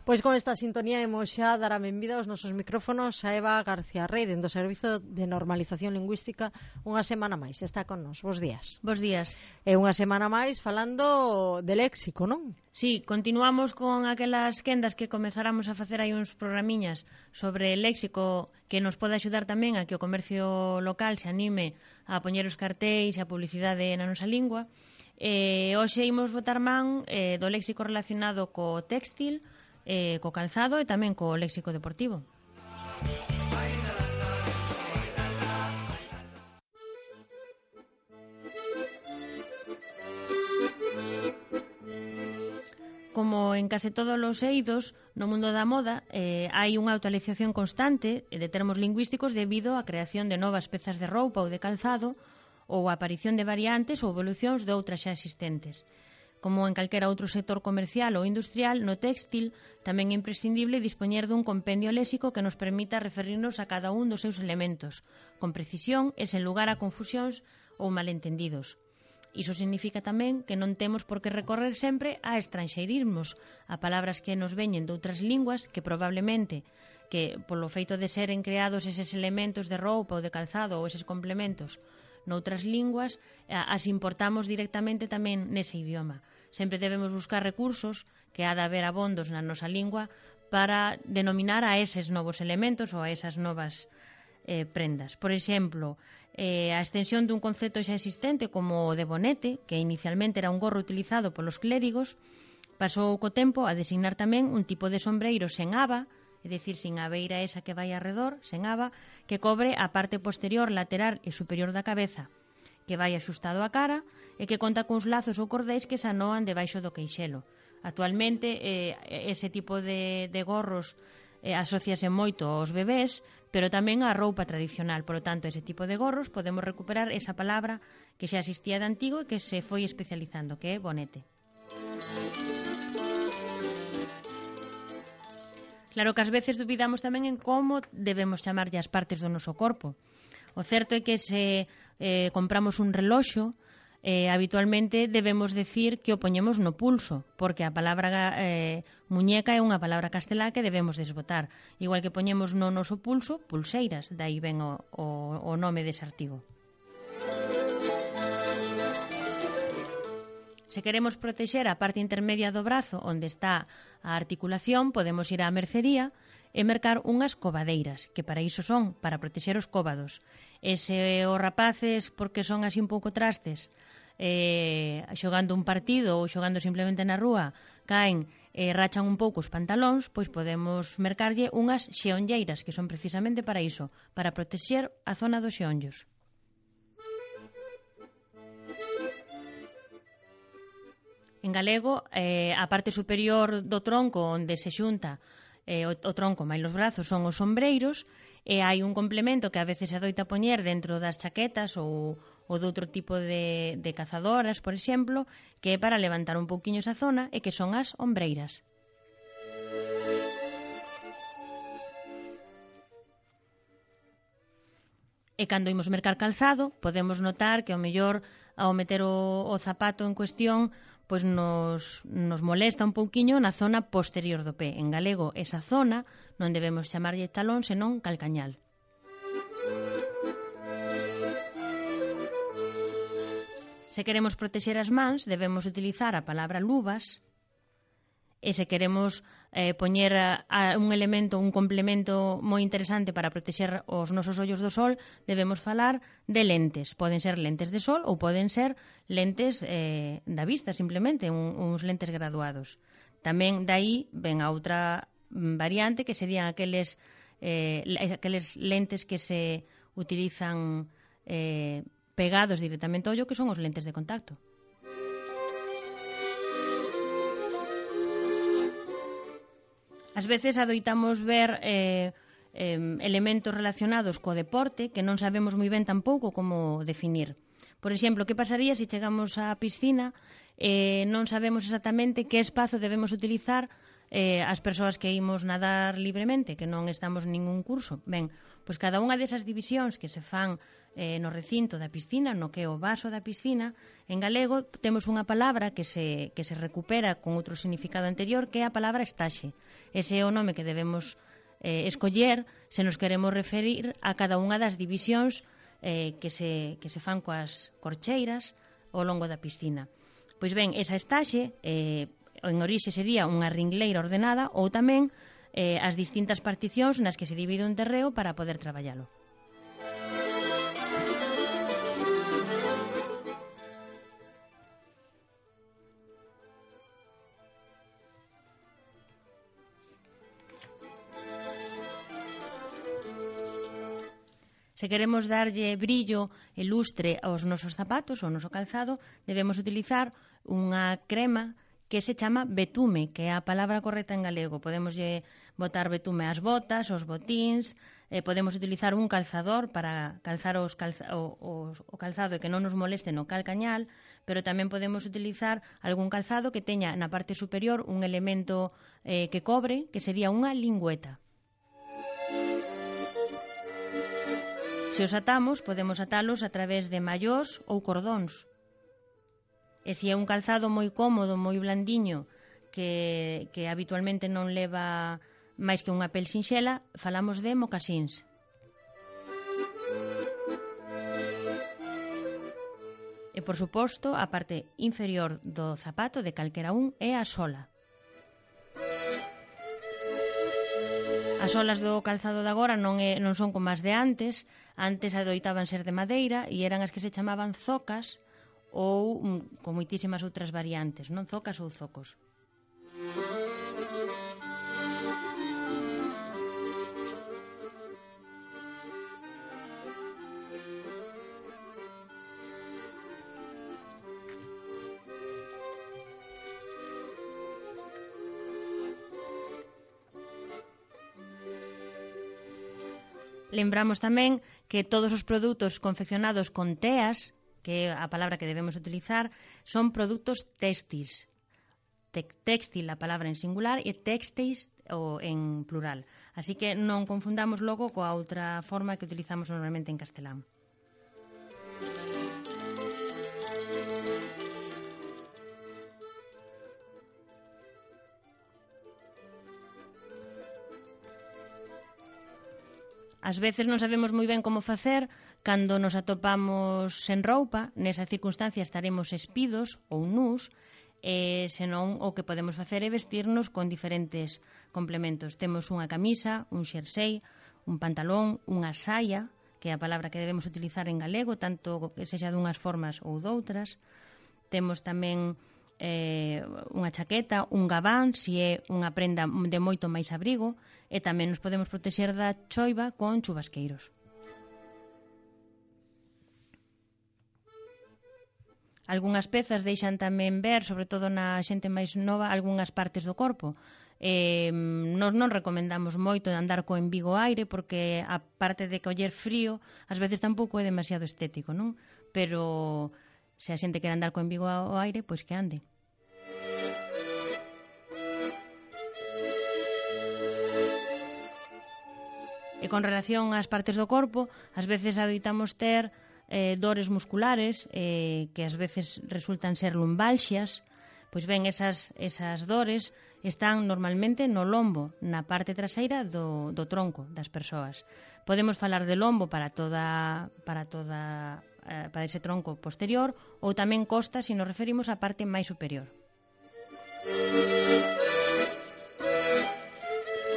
Pois con esta sintonía imos xa dar a benvida aos nosos micrófonos a Eva García Rey, dentro do Servizo de Normalización Lingüística, unha semana máis. Está con nos. Bos días. Bos días. E unha semana máis falando de léxico, non? Sí, continuamos con aquelas quendas que comezáramos a facer aí uns programiñas sobre léxico que nos pode axudar tamén a que o comercio local se anime a poñer os cartéis e a publicidade na nosa lingua. Hoxe imos botar man do léxico relacionado co téxtil, co calzado e tamén co léxico deportivo. Como en case todos os eidos no mundo da moda, hai unha actualización constante de termos lingüísticos debido á creación de novas pezas de roupa ou de calzado ou a aparición de variantes ou evolucións de outras xa existentes. Como en calquera outro sector comercial ou industrial, no téxtil tamén é imprescindible dispoñer dun compendio léxico que nos permita referirnos a cada un dos seus elementos, con precisión e sen lugar a confusións ou malentendidos. Iso significa tamén que non temos por que recorrer sempre a estranxeirismos, a palabras que nos veñen doutras linguas que probablemente, que polo feito de seren creados eses elementos de roupa ou de calzado ou eses complementos noutras linguas, as importamos directamente tamén nese idioma. Sempre debemos buscar recursos que ha de haber abondos na nosa lingua para denominar a eses novos elementos ou a esas novas prendas. Por exemplo, a extensión dun concepto xa existente como o de bonete, que inicialmente era un gorro utilizado polos clérigos, pasou co tempo a designar tamén un tipo de sombreiro sen aba, é dicir, sin a beira esa que vai arredor, sen aba, que cobre a parte posterior, lateral e superior da cabeza, que vai axustado á cara e que conta cuns lazos ou cordéis que se anoan debaixo do queixelo. Actualmente, ese tipo de gorros asociase moito aos bebés, pero tamén á roupa tradicional. Por lo tanto, ese tipo de gorros podemos recuperar esa palabra que xa existía de antigo e que se foi especializando, que é bonete. Claro que ás veces dubidamos tamén en como debemos chamarlle as partes do noso corpo. O certo é que se compramos un reloxo, habitualmente debemos decir que o poñemos no pulso, porque a palabra muñeca é unha palabra castelá que debemos desbotar. Igual que poñemos no noso pulso, pulseiras, dai ven o nome dese artigo. Se queremos protexer a parte intermedia do brazo onde está a articulación, podemos ir á mercería e mercar unhas covadeiras, que para iso son, para protexer os cóvados. E se os rapaces, porque son así un pouco trastes, xogando un partido ou xogando simplemente na rúa, caen e rachan un pouco os pantalóns, pois podemos mercarlle unhas xeonlleiras, que son precisamente para iso, para protexer a zona dos xeonllos. En galego, a parte superior do tronco onde se xunta o tronco máis os brazos son os sombreiros e hai un complemento que a veces se adoita poñer dentro das chaquetas ou de outro tipo de cazadoras, por exemplo, que é para levantar un pouquiño esa zona e que son as ombreiras. E cando imos mercar calzado, podemos notar que ao mellor ao meter o zapato en cuestión pois nos molesta un pouquiño na zona posterior do pé. En galego, esa zona non debemos chamarlle talón, senón calcañal. Se queremos protexer as mans, debemos utilizar a palabra luvas. E se queremos poñer un elemento, un complemento moi interesante para protexer os nosos ollos do sol, debemos falar de lentes. Poden ser lentes de sol ou poden ser lentes da vista, simplemente, uns lentes graduados. Tamén daí ven a outra variante que serían aqueles lentes que se utilizan pegados directamente ao ollo, que son os lentes de contacto. Ás veces adoitamos ver elementos relacionados co deporte que non sabemos moi ben tampouco como definir. Por exemplo, que pasaría se chegamos á piscina e non sabemos exactamente que espazo debemos utilizar as persoas que imos nadar libremente, que non estamos en ningún curso. Ben, pois cada unha desas divisións que se fan no recinto da piscina, no que é o vaso da piscina, en galego temos unha palabra que se recupera con outro significado anterior, que é a palabra estaxe. Ese é o nome que debemos escoller se nos queremos referir a cada unha das divisións que se fan coas corcheiras ao longo da piscina. Pois ben, esa estaxe en orixe sería unha ringleira ordenada ou tamén as distintas particións nas que se divide un terreo para poder traballalo. Se queremos darlle brillo e lustre aos nosos zapatos, ao noso calzado, debemos utilizar unha crema que se chama betume, que é a palabra correcta en galego. Podemos botar betume ás botas, aos botíns, podemos utilizar un calzador para calzar o calzado e que non nos moleste no calcañal, pero tamén podemos utilizar algún calzado que teña na parte superior un elemento que cobre, que sería unha lingüeta. Se os atamos, podemos atalos a través de mallós ou cordóns. E se é un calzado moi cómodo, moi blandiño, que habitualmente non leva máis que unha pel sinxela, falamos de mocasíns. E, por suposto, a parte inferior do zapato de calquera un é a sola. As solas do calzado de agora non son como as de antes. Antes adoitaban ser de madeira e eran as que se chamaban zocas ou con moitísimas outras variantes, non zocas ou zocos. Lembramos tamén que todos os produtos confeccionados con teas, que é a palabra que debemos utilizar, son produtos téxtiles. Téxtil, a palabra en singular, e téxteis en plural. Así que non confundamos logo coa outra forma que utilizamos normalmente en castelán. Ás veces non sabemos moi ben como facer cando nos atopamos sen roupa. Nesa circunstancia estaremos espidos ou nus, e senón o que podemos facer é vestirnos con diferentes complementos. Temos unha camisa, un xersei, un pantalón, unha saia, que é a palabra que debemos utilizar en galego, tanto que sexa dunhas formas ou doutras. Temos tamén unha chaqueta, un gabán, se é unha prenda de moito máis abrigo, e tamén nos podemos protexer da choiva con chubasqueiros. Algúnas pezas deixan tamén ver, sobre todo na xente máis nova, algunhas partes do corpo. Nos non recomendamos moito andar co embigo aire, porque a parte de coller frío, ás veces tampouco é demasiado estético, non? Pero se a xente quere andar co embigo ao aire, pois que ande. E con relación ás partes do corpo, ás veces adoitamos ter dores musculares que ás veces resultan ser lumbalxias. Pois ben, esas dores están normalmente no lombo, na parte traseira do tronco das persoas. Podemos falar de lombo para ese tronco posterior, ou tamén costa se nos referimos á parte máis superior.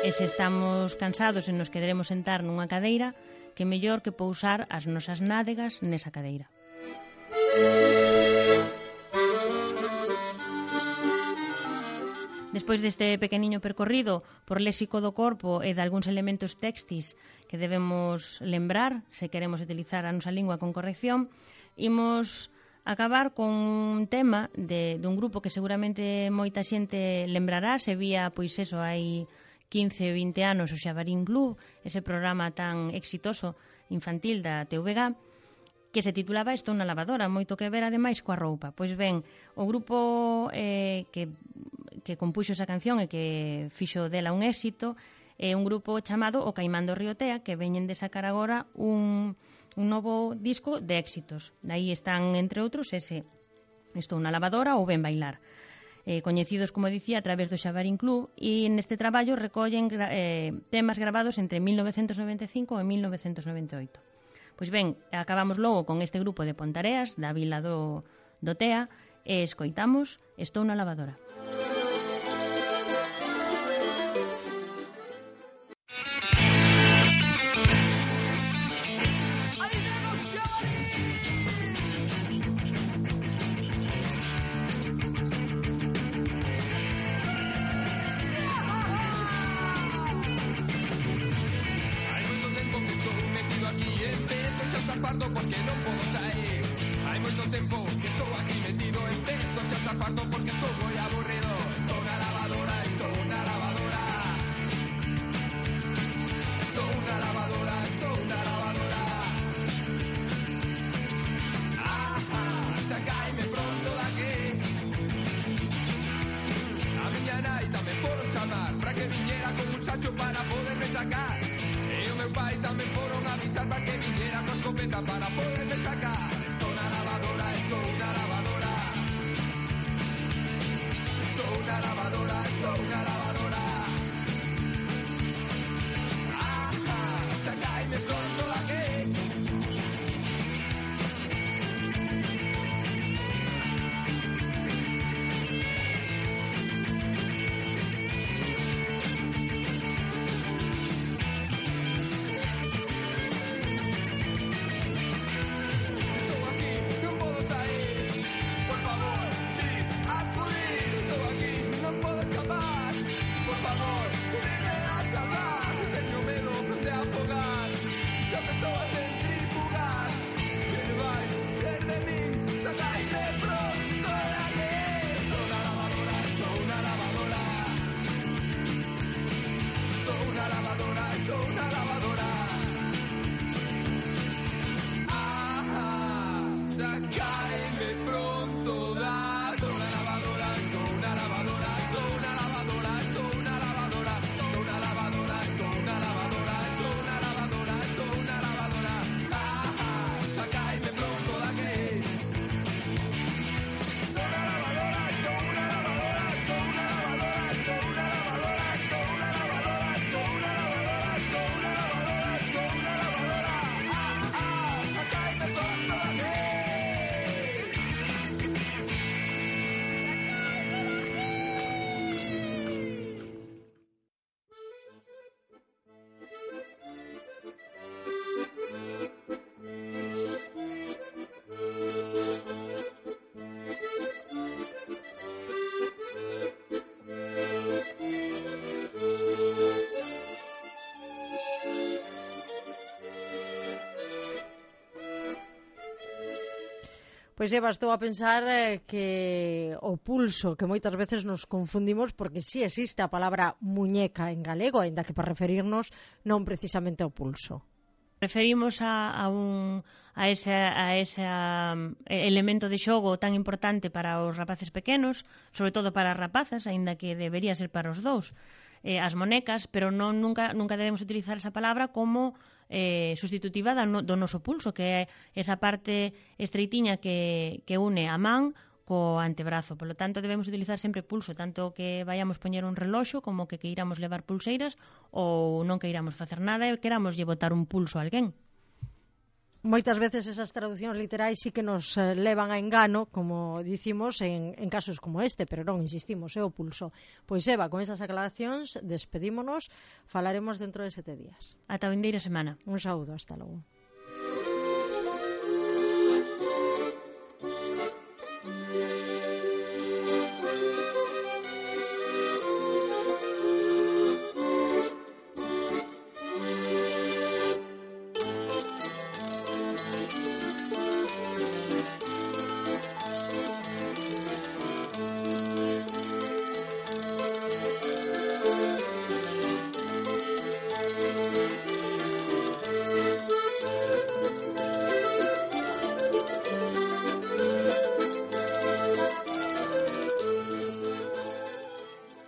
E se estamos cansados e nos queremos sentar nunha cadeira, que mellor que pousar as nosas nádegas nesa cadeira. Despois deste pequeniño percorrido por léxico do corpo e de algúns elementos téxtis que debemos lembrar se queremos utilizar a nosa lingua con corrección, imos acabar con un tema dun grupo que seguramente moita xente lembrará, se vía, pois eso, hai 15 ou 20 anos o Xabarín Club, ese programa tan exitoso infantil da TVG, que se titulaba Estou na lavadora, moito que ver ademais coa roupa. Pois ben, o grupo que que compuxo esa canción e que fixo dela un éxito é un grupo chamado O Caimán do Río Tea, que veñen de sacar agora un novo disco de éxitos. Daí están, entre outros, ese Estou na lavadora ou Ben bailar. Coñecidos, como dicía, a través do Xabarín Club, e neste traballo recollen temas gravados entre 1995 e 1998. Pois ben, acabamos logo con este grupo de Pontareas, da vila do Tea, e escoitamos Estou na lavadora. Fardo porque non podo sair. Hai moito tempo que estou aquí metido. Empezo xa estar fardo porque estou moi aburrido. Estou na lavadora, estou na lavadora. Estou na lavadora, estou na lavadora. Sacaime pronto daqui. A miña nai tamén foron chamar para que viñera con un sacho para poderme sacar. E o meu pai tamén foron avisar para que viñera con escopeta para poderme sacar. Estou na lavadora, estou na lavadora. Estou na lavadora, estou na lavadora. Sacaime pronto daqui. Pois Eva, estou a pensar que o pulso, que moitas veces nos confundimos porque si existe a palabra muñeca en galego, aínda que para referirnos non precisamente ao pulso. Referimos a ese elemento de xogo tan importante para os rapaces pequenos, sobre todo para as rapazas, aínda que debería ser para os dous, as monecas, pero nunca debemos utilizar esa palabra como sustitutiva do noso pulso, que é esa parte estreitiña que une a man co antebrazo. Por lo tanto, debemos utilizar sempre pulso, tanto que vayamos poñer un reloxo como que queiramos levar pulseiras ou non queiramos facer nada e queramos lle botar un pulso a alguén. Moitas veces esas traduccións literais sí que nos levan a engano, como dicimos, en casos como este, pero non, insistimos, é o pulso. Pois Eva, con esas aclaracións, despedímonos, falaremos dentro de 7 días. Ata a vindeira semana. Un saúdo, hasta logo.